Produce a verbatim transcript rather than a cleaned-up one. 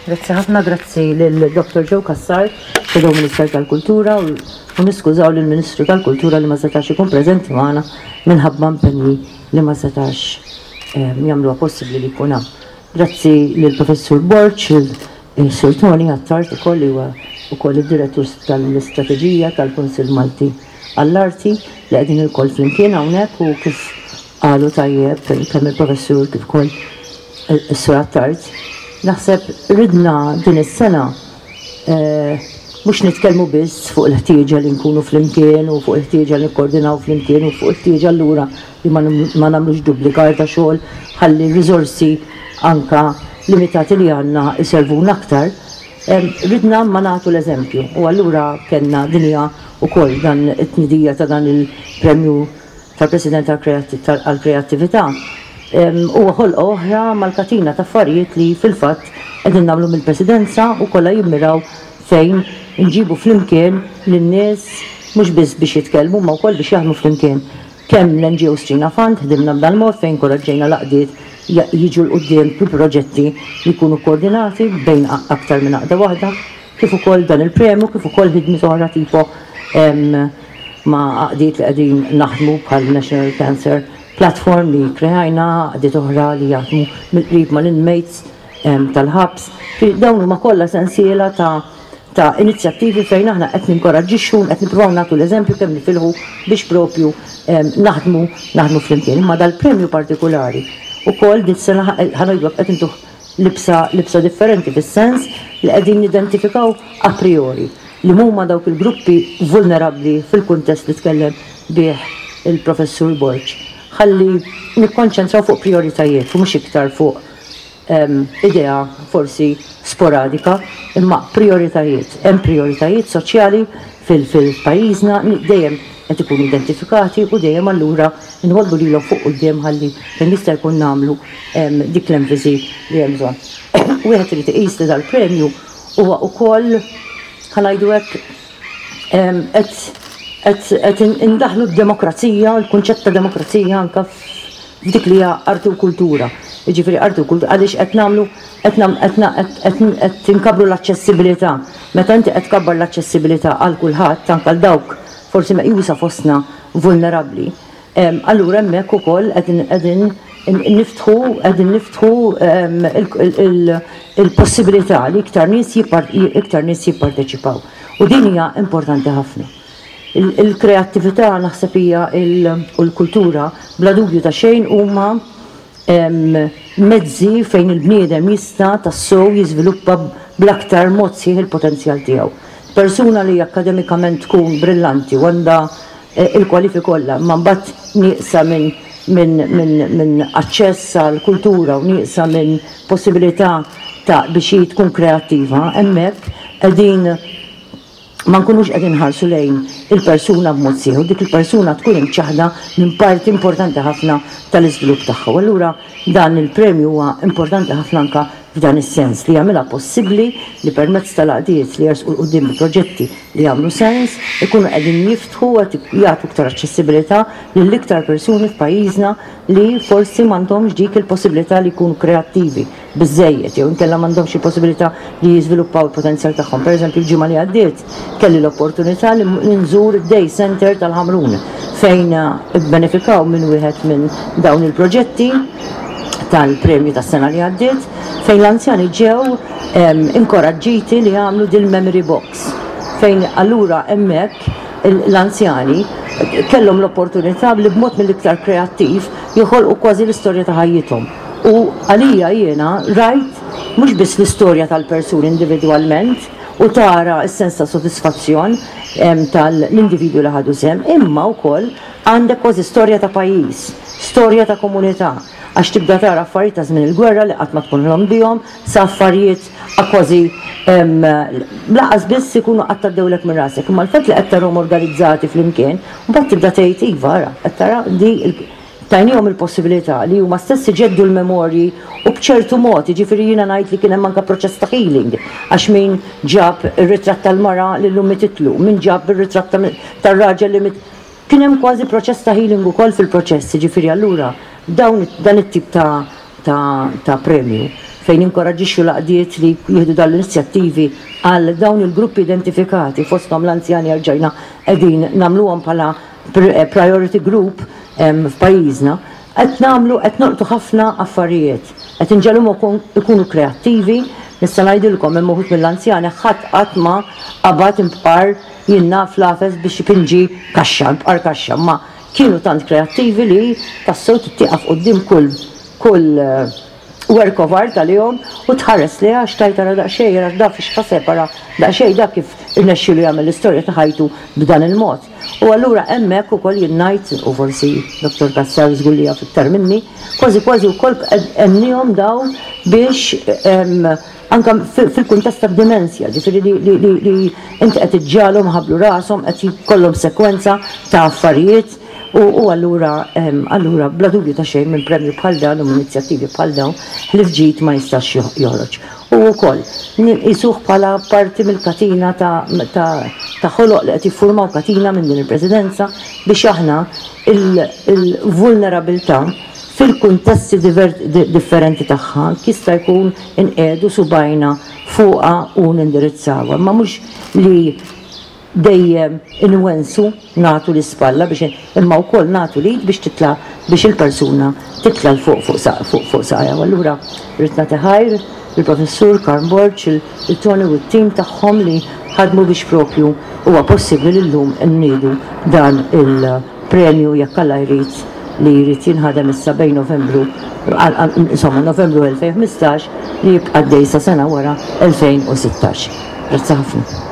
Grazzi ħafna, grazzi lil Dottor Joe Cassar, Shadow Minister tal-Kultura, u niskużaw lill Ministru tal-Kultura li ma setax ikun preżenti magħna minħabba impenji li ma setax jagħmluha possibbli li jkun hawn. Grazzi lill Professur Borg, il-Sur Tony Attard ukoll, li huwa ukoll id-direttur tal-istrateġija tal-Kunsill Malti għall-Arti, li qegħdin ilkoll flimkien hawnhekk. U kif qalu tajjeb kemm il-professur kif ukoll is-Sur Attard, naħseb ridna din is-sena mhux nitkellmu biss fuq il-ħtieġa li nkunu flimkien u fuq il-ħtieġa li nikkoordinaw flimkien u fuq il-ħtieġa allura li ma nagħmlux duplikar ta' xogħol ħalli r-riżorsi anka limitati li għandna iservuna aktar. Ridna ma nagħtu l-eżempju u allura kellna dinja wkoll dan it-tnedija ta' dan il-premju tal-President għall-Kreattività. Huwa ħolqa oħra mal-katina ta' affarijiet li fil-fatt qegħdin nagħmlu mill-Presidenza u kollha jimmiraw fejn nġibu flimkien lin-nies mhux biss biex jitkellmu ma wkoll biex jaħdmu flimkien. Kemm l-N G O Strina Fund ħdimna b'dan mod fejn inkoraġġejna l-għaqdiet jiġu 'l quddiem bi proġetti li jkunu koordinati bejn aktar minn għaqda waħda, kif ukoll dan il-premju, kif ukoll ħidmiet oħra tipo ma' għaqdiet li qegħdin naħdmu bħal National Cancer Platform li kreajna, għaqdiet oħra li jaħdmu mill-qrib mal-inmates tal-ħabs. Dawn huma kollha sensiela ta' ta' inizjattivi fejn aħna qed ninkoraġġixxu, qed nippruvaw nagħtu l-eżempju kemm nifilħu biex propju naħdmu naħdmu flimkien. Imma dal-premju partikolari ukoll din sena, ħa ngħidu, qed intuh libsa libsa differenti, fis-sens li qegħdin nidentifikaw a priori li huma dawk il-gruppi vulnerabbli fil-kuntest li tkellem bih il-professur Borg. Ħalli nikkonċentraw fuq prioritajiet u mhux iktar fuq idea forsi sporadika, imma prioritajiet. Hemm prioritajiet soċjali fil-pajjiżna dejjem qed ikunu identifikati u dejjem allura nħollu lilhom fuq quddiem ħalli kemm jista' jkun nagħmlu dik l-enfasi li hemm bżonn. Wieħed irid iqis li dal-premju huwa wkoll, ħa ngħidu hekk, qed indaħlu d-demokrazija, l-kunċett ta' demokrazija anka f'dik li hija arti u kultura. Jiġifieri arti u kultura għaliex qed nagħmlu qed inkabru l-aċċessibilità. Meta inti qed tkabbar l-aċċessibilità għal kulħadd, anke għal dawk forsi meqjusa fostna vulnerabbli, allura hemmhekk ukoll qegħdin niftħu qegħdin niftħu il-possibilità li iktar nies iktar nies jipparteċipaw. U din hija importanti ħafna. Il-kreattività naħseb hija u l-kultura bla dubju ta' xejn huma mezzi fejn il-bniedem jista' tassew jiżviluppa bl-aktar mod sħiħ il-potenzjal tiegħu. Persuna li akademikament tkun brillanti u għandha il-kwalifiki kollha, ma mbagħad nieqsa minn min, min, min aċċess għal kultura u nieqsa minn possibilità ta' biex hi tkun kreattiva, hemmhekk qegħdin ma nkunux qegħdin ħarsu lejn il-persuna b'mod sħiħ, dik il-persuna tkun imċaħda minn parti importanti ħafna tal-iżvilupp tagħha. U allura dan il-premju huwa importanti ħafna anka f'dan is-sens li jagħmilha possibbli li permezz tal-għaqdiet li jersqu 'l quddiem bi proġetti li jagħmlu sens ikunu qegħdin jiftħu, qed jagħtu iktar aċċessibilità lil iktar persuni f'pajjiżna li forsi m'għandhomx dik il-possibilità li jkunu kreattivi biżejjed jew inkella m'għandhomx il-possibilità li jiżviluppaw il-potenzjal tagħhom. Pereżempju, il-ġimgħa li għaddiet kelli l-opportunità li nżur id-Day Center tal-Ħamrun fejn benefikaw minn wieħed minn dawn il-proġetti tal-premju tas-sena li għaddiet, fejn l-anzjani ġew inkoraġġiti li jagħmlu dil-memory box, fejn allura hemmhekk l-anzjani kellhom l-opportunità li b'mod mill-iktar kreattiv joħolqu kważi l-istorja ta' ħajjithom. U għalija jiena rajt mhux biss l-istorja tal-persuni individwalment u tara s-sens ta' sodisfazzjon tal-individwu li ħadu sehem, imma wkoll għandek kważi storja ta' pajjiż, storja ta' komunità, għax tibda tara affarijiet ta' żmien il-gwerra li qatt ma tkun ħlomt bihom, sa affarijiet kważi lanqas biss ikunu qatt għaddewlek minn rasek. Imma l-fatt li qed tarahom organizzati flimkien, mbagħad tibda tgħid iva, ara, qed tara di tajnihom il-possibilità li huma stess iġeddu l-memorji u b'ċertu mod, jiġifieri jiena ngħid li kien hemm anke proċess ta' healing, għax min ġab ir-ritratt tal-mara li llum mititlu, min ġab ir-ritratt tar-raġel li mit, kien hemm kważi proċess ta' healing ukoll fil-proċess. Jiġifieri allura dawn dan it-tip ta' ta' ta' premju fejn fejn inkoraġġixxu l-għaqdiet li jieħdu dawn l-inizjattivi għal dawn il-gruppi identifikati, fosthom l-anzjani, erġajna qegħdin nagħmluhom bħala priority group f'pajjiżna, qed nagħmlu, qed nolqtu ħafna affarijiet. Qed inġegħluhom ikunu kreattivi. Nista' ngħidilkom, hemm uħud mill-anzjani ħadd qatt ma qabad imqar, jien naf, lapes biex ipinġi kaxxa, imqar kaxxa, ma kienu tant kreattivi li tassew tieqaf quddiem kull kull work of art għalihom u tħares li għax tajt ara daqsxejn, għax da fiex ħaseb, ara daqsxejn da kif irnexxielu jagħmel l-istorja ta' ħajtu b'dan il-mod. U allura hemmhekk ukoll jien ngħid, u forsi Dottor Cassar żgur li jaf iktar minni, kważi kważi wkoll għennihom daw biex anka fil-kuntest ta' dimensja, ġifieri li inti qed iġġagħalhom ħablu rashom, qed jkollhom sekwenza ta' affarijiet. U allura, allura bla dubju ta' xejn, minn premju bħal dan u minn inizjattivi bħal dawn li fġid ma jistax joħroġ. U wkoll nqisuh bħala parti mill-katina ta' ħoloq li qed jiffurmaw katina minn din il-presidenza biex aħna il-vulnerabilità fil-kuntesti differenti tagħha jista' jkun inqiegħdu subgħajna fuqha u nindirizzawha. Ma mhux li dejjem inwensu, nagħtu l-ispalla biex, imma wkoll nagħtu l-id biex titla, biex il-persuna titla 'l fuq fuq fuq saqajha. U allura rrid nagħti ħajr il-Professur Karm Borg, il-Tony u t-tim tagħhom li ħadmu biex propju huwa possibbli li llum nniedu dan il-premju, jekk Alla jrid, li jrid jinħadem issa bejn Novembru, insomma, Novembru elfejn u ħmistax, li jibqa' għaddej sa sena wara, elfejn u sittax. Grazzi ħafna.